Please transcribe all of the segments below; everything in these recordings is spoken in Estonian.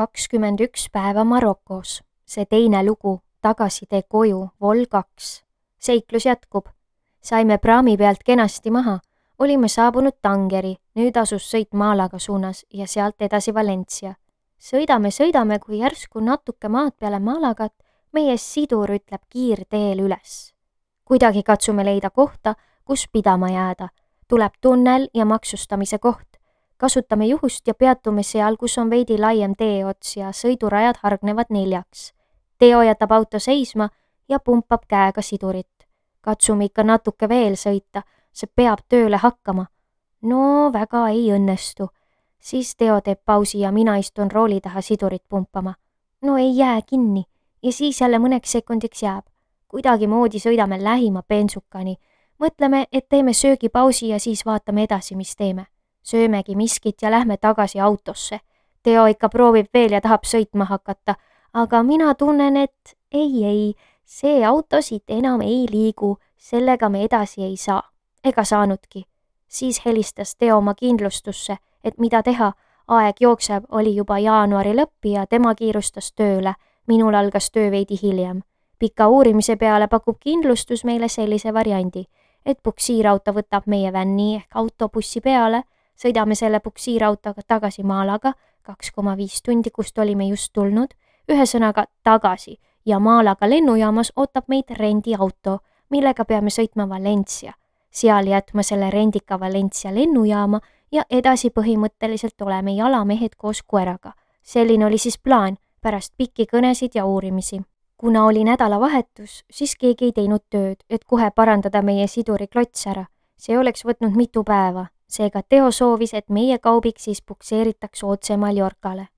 21 päeva Marokos. See teine lugu, tagasitee koju, vol 2. Seiklus jätkub. Saime praami pealt kenasti maha. Olime saabunud Tangeri, nüüd asus sõit Malaga suunas ja sealt edasi Valencia. Sõidame, kui järsku natuke maad peale Malagat meie sidur ütleb kiirteel üles. Kuidagi katsume leida kohta, kus pidama jääda. Tuleb tunnel ja maksustamise koht. Kasutame juhust ja peatume seal, kus on veidi laiem teeots ja sõidurajad hargnevad 4. Teo jätab auto seisma ja pumpab käega sidurit. Katsume ikka natuke veel sõita, see peab tööle hakkama. No väga ei õnnestu. Siis Teo teeb pausi ja mina istun rooli taha sidurit pumpama. No ei jää kinni ja siis jälle mõneks sekundiks jääb. Kuidagi moodi sõidame lähima bensukani. Mõtleme, et teeme söögipausi ja siis vaatame edasi, mis teeme. Söömegi miskit ja lähme tagasi autosse. Teo ikka proovib veel ja tahab sõitma hakata, aga mina tunnen, et ei, see auto siit enam ei liigu, sellega me edasi ei saa. Ega saanudki. Siis helistas Teo oma kindlustusse, et mida teha, aeg jookseb, oli juba jaanuari lõpp ja tema kiirustas tööle. Minul algas töö veidi hiljem. Pika uurimise peale pakub kindlustus meile sellise variandi, et puksiirauto võtab meie vänni ehk autobussi peale. Sõidame selle puksiirautoga tagasi Malaga, 2,5 tundi, kust olime just tulnud, ühesõnaga tagasi ja Malaga lennujaamas ootab meid rendiauto, millega peame sõitma Valencia. Seal jätma selle rendika Valencia lennujaama ja edasi põhimõtteliselt oleme jalamehed koos koeraga. Selline oli siis plaan pärast pikki kõnesid ja uurimisi. Kuna oli nädalavahetus, siis keegi ei teinud tööd, et kohe parandada meie siduri klots ära. See oleks võtnud mitu päeva. Seega Teo soovis, et meie kaubik siis pukseeritakse otse Mallorcale.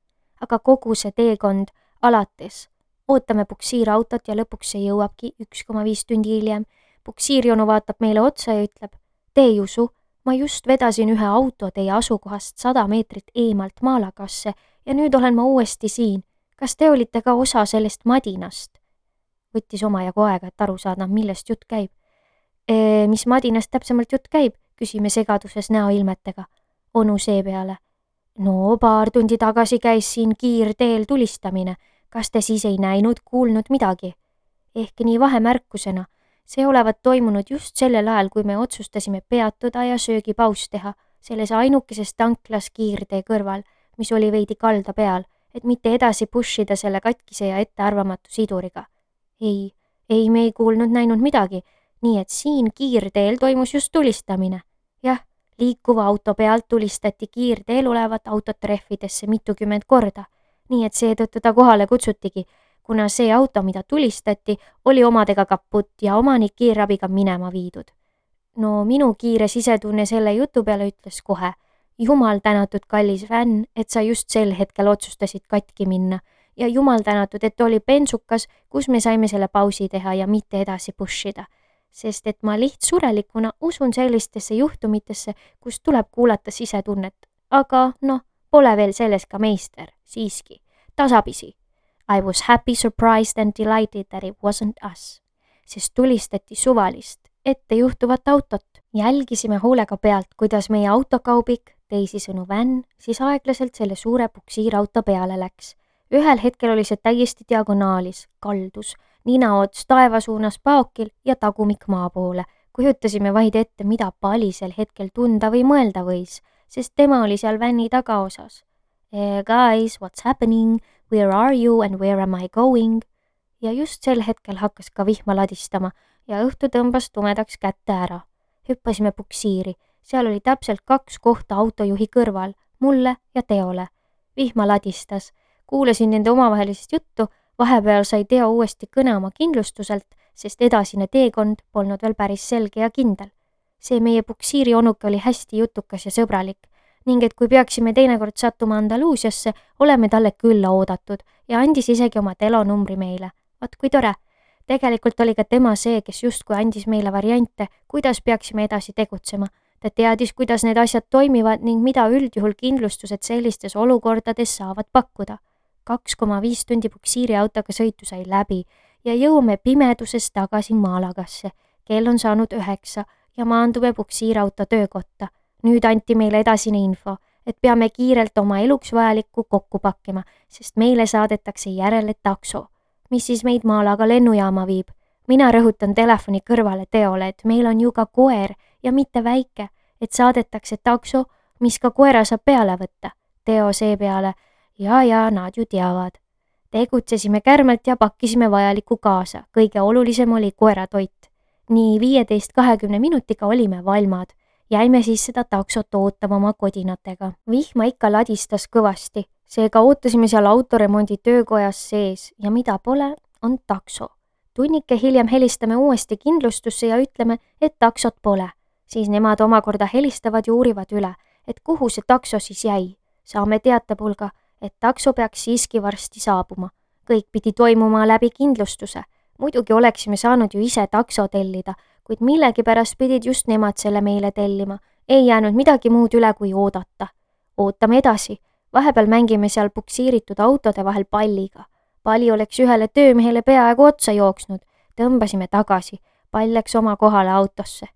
Aga kogu see teekond alates. Ootame puksiirautot ja lõpuks see jõuabki 1,5 tundi hiljem. Puksiirjonu vaatab meile otsa ja ütleb, te ei usu, ma just vedasin ühe auto teie asukohast 100 meetrit eemalt Malagasse ja nüüd olen ma uuesti siin. Kas te olite ka osa sellest madinast? Võttis omajagu aega, et aru saada, millest jutt käib. Mis madinast täpsemalt jutt käib? Küsime segaduses näoilmetega. Onu seepeale. No, paar tundi tagasi käis siin kiirteel tulistamine. Kas te siis ei näinud, kuulnud midagi? Ehk nii vahemärkusena. See olevat toimunud just sellel ajal, kui me otsustasime peatuda ja söögipaus teha, selles ainukeses tanklas kiirtee kõrval, mis oli veidi kalda peal, et mitte edasi pushida selle katkise ja ettearvamatu siduriga. Ei, me ei kuulnud näinud midagi, nii et siin kiirteel toimus just tulistamine. Jah, liikuva auto pealt tulistati kiirteel olevat autot rehvidesse mitukümmend korda, nii et seetõttu ta kohale kutsutigi, kuna see auto, mida tulistati, oli omadega kaput ja omanik kiirabiga minema viidud. No minu kiire sisetunne selle jutu peale ütles kohe, jumal tänatud kallis fänn, et sa just sel hetkel otsustasid katki minna ja jumal tänatud, et oli bensukas, kus me saime selle pausi teha ja mitte edasi pushida. Sest et ma lihtsurelikuna usun sellistesse juhtumitesse, kus tuleb kuulata sisetunnet. Aga pole veel selles ka meister, siiski. Tasapisi. I was happy, surprised and delighted that it wasn't us. Sest tulistati suvalist, ette juhtuvat autot. Jälgisime hoolega pealt, kuidas meie autokaubik, teisisõnu vänn, siis aeglaselt selle suure puksiirauto peale läks. Ühel hetkel oli see täiesti diagonaalis, kaldus. Ninaots taeva suunas paokil ja tagumik maa poole. Kujutasime vaid ette, mida palisel hetkel tunda või mõelda võis, sest tema oli seal vänni tagaosas. Guys, what's happening? Where are you and where am I going? Ja just sel hetkel hakkas ka vihma ladistama ja õhtu tõmbas tumedaks kätte ära. Hüppasime puksiiri. Seal oli täpselt 2 kohta autojuhi kõrval, mulle ja Teole. Vihma ladistas. Kuulasin nende omavahelisest juttu. Vahepeal sai Teo uuesti kõne oma kindlustuselt, sest edasine teekond polnud veel päris selge ja kindel. See meie puksiiri onuke oli hästi jutukas ja sõbralik ning et kui peaksime teinekord sattuma Andaluusiasse, oleme talle külla oodatud ja andis isegi oma telonumbri meile. Vaat kui tore. Tegelikult oli ka tema see, kes justkui andis meile variante, kuidas peaksime edasi tegutsema. Ta teadis, kuidas need asjad toimivad ning mida üldjuhul kindlustused sellistes olukordades saavad pakkuda. 2,5 tundi puksiiriautoga sõitu sai läbi ja jõuame pimeduses tagasi Malagasse. Kell on saanud 9 ja maandume puksiirauto töökotta. Nüüd anti meile edasine info, et peame kiirelt oma eluks vajalikku kokku pakkima, sest meile saadetakse järele takso, mis siis meid Malaga lennujaama viib. Mina rõhutan telefoni kõrvale Teole, et meil on ju ka koer ja mitte väike, et saadetakse takso, mis ka koera saab peale võtta. Teo seepeale, ja nad ju teavad. Tegutsesime kärmelt ja pakkisime vajalikku kaasa. Kõige olulisem oli koeratoit. Nii 15-20 minutiga olime valmad. Jäime siis seda taksot ootama oma kodinatega. Vihma ikka ladistas kõvasti. Seega ootasime seal autoremondi töökojas sees ja mida pole, on takso. Tunnike hiljem helistame uuesti kindlustusse ja ütleme, et taksot pole. Siis nemad omakorda helistavad ja uurivad üle, et kuhu see takso siis jäi. Saame teatepulga, et takso peaks siiski varsti saabuma. Kõik pidi toimuma läbi kindlustuse. Muidugi oleksime saanud ju ise takso tellida, kuid millegipärast pidid just nemad selle meile tellima. Ei jäänud midagi muud üle kui oodata. Ootame edasi. Vahepeal mängime seal puksiiritud autode vahel palliga. Palli oleks ühele töömehele peaaegu otsa jooksnud. Tõmbasime tagasi. Pall läks oma kohale autosse.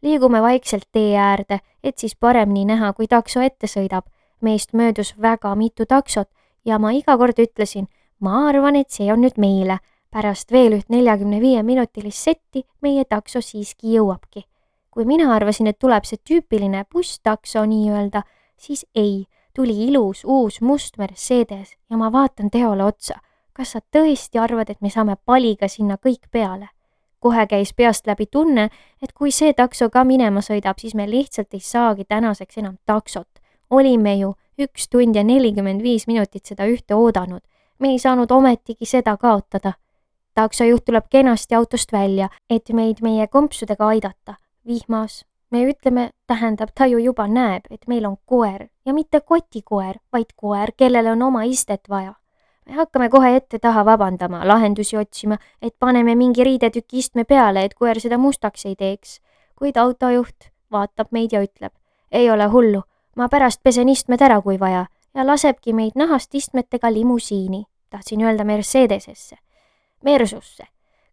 Liigume vaikselt tee äärde, et siis paremini näha, kui takso ette sõidab. Meist möödus väga mitu taksot ja ma iga kord ütlesin, ma arvan, et see on nüüd meile. Pärast veel üht 45-minutilist setti meie takso siiski jõuabki. Kui mina arvasin, et tuleb see tüüpiline busstakso nii-öelda, siis ei, tuli ilus uus must Mercedes ja ma vaatan Teole otsa. Kas sa tõesti arvad, et me saame paliga sinna kõik peale? Kohe käis peast läbi tunne, et kui see takso ka minema sõidab, siis me lihtsalt ei saagi tänaseks enam taksot. Olime ju 1 tund ja 45 minutit seda ühte oodanud. Me ei saanud ometigi seda kaotada. Taksojuht tuleb kenasti autost välja, et meid meie kompsudega aidata. Vihmas. Me ütleme, tähendab, ta ju juba näeb, et meil on koer ja mitte kotikoer, vaid koer, kellele on oma istet vaja. Me hakkame kohe ette-taha vabandama, lahendusi otsima, et paneme mingi riidetüki istme peale, et koer seda mustaks ei teeks. Kuid autojuht vaatab meid ja ütleb, ei ole hullu, ma pärast pesen istmed ära, kui vaja, ja lasebki meid nahast istmetega limusiini. Tahtsin öelda Mercedesesse. Mersusse.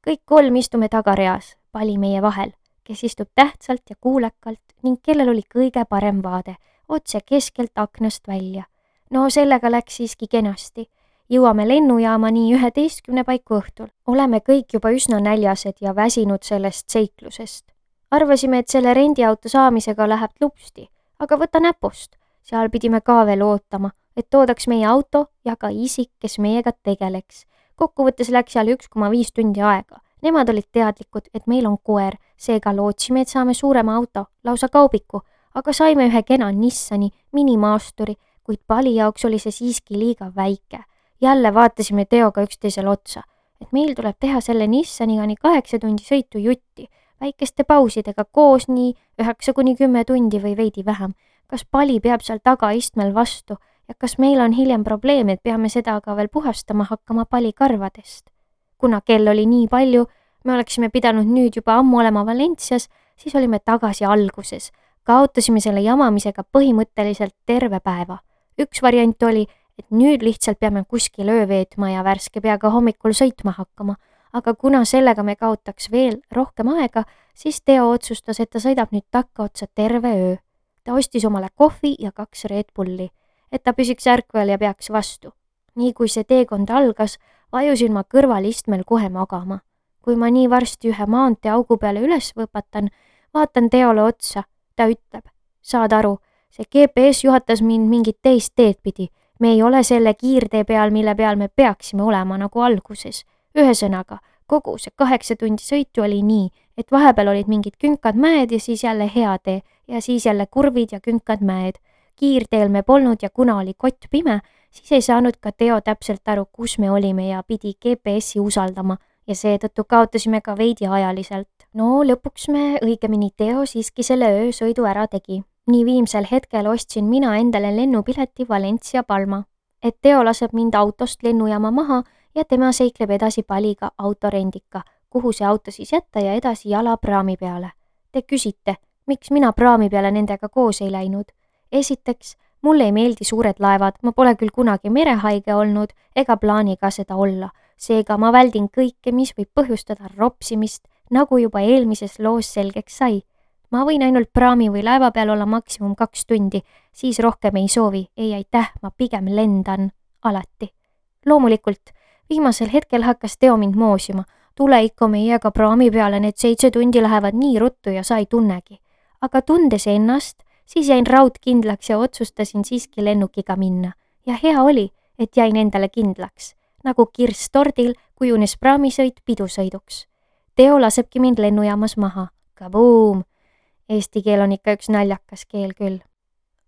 Kõik 3 istume tagareas, Pali meie vahel, kes istub tähtsalt ja kuulekalt ning kellel oli kõige parem vaade, otse keskelt aknast välja. No sellega läks siiski kenasti. Jõuame lennujaama nii 11 paiku õhtul. Oleme kõik juba üsna näljased ja väsinud sellest seiklusest. Arvasime, et selle rendiauto saamisega läheb lupsti, aga võta näpust. Seal pidime ka veel ootama, et toodaks meie auto ja ka isik, kes meiega tegeleks. Kokkuvõttes läks seal 1,5 tundi aega. Nemad olid teadlikud, et meil on koer, seega lootsime, et saame suurema auto, lausa kaubiku, aga saime ühe kena Nissani minimaasturi, kuid Pali jaoks oli see siiski liiga väike. Jälle vaatasime Teoga üksteisel otsa, et meil tuleb teha selle Nissaniga nii 8 tundi sõitu jutti, väikeste pausidega koos nii 9-10 tundi või veidi vähem. Kas Pali peab seal tagaistmel vastu ja kas meil on hiljem probleem, et peame seda aga veel puhastama hakkama Pali karvadest? Kuna kell oli nii palju, me oleksime pidanud nüüd juba ammu olema Valencias, siis olime tagasi alguses. Kaotasime selle jamamisega põhimõtteliselt terve päeva. Üks variant oli, et nüüd lihtsalt peame kuskil öö veetma ja värske peaga hommikul sõitma hakkama, aga kuna sellega me kaotaks veel rohkem aega, siis Teo otsustas, et ta sõidab nüüd takkaotsa terve öö. Ta ostis omale kohvi ja 2 Red Bulli, et ta püsiks ärkvel ja peaks vastu. Nii kui see teekond algas, vajusin ma kõrvalistmel kohe magama. Kui ma nii varsti ühe maanteeaugu peale üles võpatan, vaatan Teole otsa. Ta ütleb, saad aru, see GPS juhatas mind mingit teist teed pidi. Me ei ole selle kiirtee peal, mille peal me peaksime olema nagu alguses. Ühesõnaga, kogu see 8 tundi sõitu oli nii, et vahepeal olid mingid künkad mäed ja siis jälle hea tee ja siis jälle kurvid ja künkad mäed. Kiirteel me polnud ja kuna oli kott pime, siis ei saanud ka Teo täpselt aru, kus me olime ja pidi GPS-i usaldama ja seetõttu kaotasime ka veidi ajaliselt. No lõpuks me, õigemini Teo siiski selle öösõidu ära tegi. Nii viimsel hetkel ostsin mina endale lennupileti Valencia Palma, et Teo laseb mind autost lennujaama maha ja tema seikleb edasi Paliga autorendika, kuhu see auto siis jätta ja edasi jala praami peale. Te küsite, miks mina praami peale nendega koos ei läinud? Esiteks, mulle ei meeldi suured laevad, ma pole küll kunagi merehaige olnud ega plaani ka seda olla, seega ma väldin kõike, mis võib põhjustada ropsimist, nagu juba eelmises loos selgeks sai. Ma võin ainult praami või laeva peal olla maksimum 2 tundi, siis rohkem ei soovi. Ei aitäh, ma pigem lendan. Alati. Loomulikult, viimasel hetkel hakkas Teo mind moosima. Tule ikka meiega praami peale, need 7 tundi lähevad nii ruttu ja sa ei tunnegi. Aga tundes ennast, siis jäin raudkindlaks ja otsustasin siiski lennukiga minna. Ja hea oli, et jäin endale kindlaks. Nagu kirss tordil kujunes praamisõit pidusõiduks. Teo lasebki mind lennujaamas maha. Kabuum! Eesti keel on ikka üks naljakas keel küll.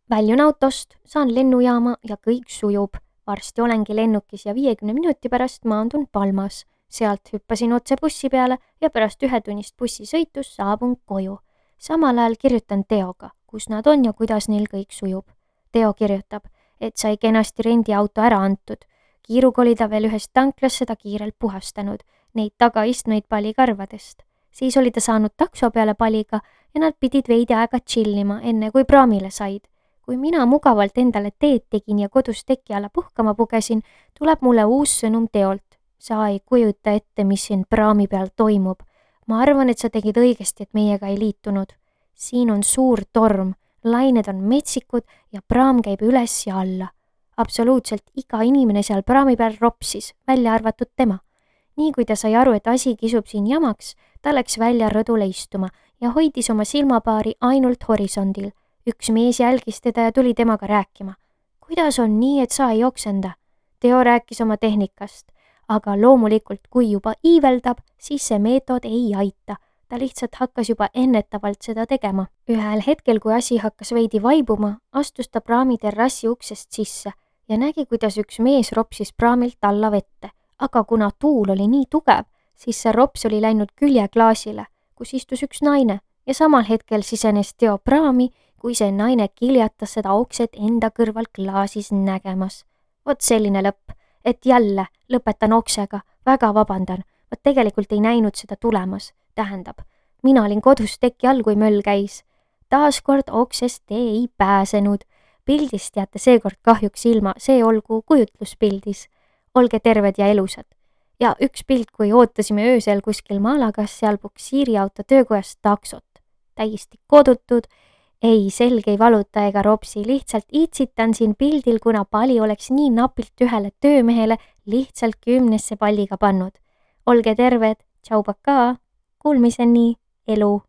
Väljun autost, saan lennujaama ja kõik sujub. Varsti olengi lennukis ja 50 minuti pärast maandun Palmas. Sealt hüppasin otse bussi peale ja pärast 1 tunnist bussisõitus saabun koju. Samal ajal kirjutan Teoga, kus nad on ja kuidas neil kõik sujub. Teo kirjutab, et sai kenasti rendiauto ära antud. Kiiruga oli ta veel ühest tanklast seda kiirelt puhastanud, neid tagaistmeid palikarvadest. Siis oli ta saanud takso peale paliga ja nad pidid veidi aega chillima, enne kui praamile said. Kui mina mugavalt endale teed tegin ja kodus teki alla puhkama pugesin, tuleb mulle uus sõnum Teolt. Sa ei kujuta ette, mis siin praami peal toimub. Ma arvan, et sa tegid õigesti, et meiega ei liitunud. Siin on suur torm, lained on metsikud ja praam käib üles ja alla. Absoluutselt iga inimene seal praami peal ropsis, välja arvatud tema. Nii kui ta sai aru, et asi kisub siin jamaks, ta läks välja rõdule istuma ja hoidis oma silmapaari ainult horisondil. Üks mees jälgis teda ja tuli temaga rääkima. Kuidas on nii, et sa ei oksenda? Teo rääkis oma tehnikast, aga loomulikult, kui juba iiveldab, siis see meetod ei aita. Ta lihtsalt hakkas juba ennetavalt seda tegema. Ühel hetkel, kui asi hakkas veidi vaibuma, astus ta praami terrassi uksest sisse ja nägi, kuidas üks mees ropsis praamilt alla vette. Aga kuna tuul oli nii tugev, siis see rops oli läinud küljeklaasile, kus istus üks naine ja samal hetkel sisenes Teo praami, kui see naine kiljatas seda okset enda kõrval klaasis nägemas. Vot selline lõpp, et jälle lõpetan oksega, väga vabandan, ma tegelikult ei näinud seda tulemas. Tähendab, mina olin kodus teki all, kui möll käis. Taaskord oksest te ei pääsenud. Pildist jääte seekord kahjuks ilma, see olgu kujutluspildis. Olge terved ja elusad. Ja üks pilt, kui ootasime öösel kuskil Malagas seal buksiiriauto töökojast taksot. Täiesti kodutud, ei selg ei valuta ega ropsi, lihtsalt iitsitan siin pildil, kuna pali oleks nii napilt ühele töömehele lihtsalt 10 palliga pannud. Olge terved, tšau pakaa, kuulmiseni, elu!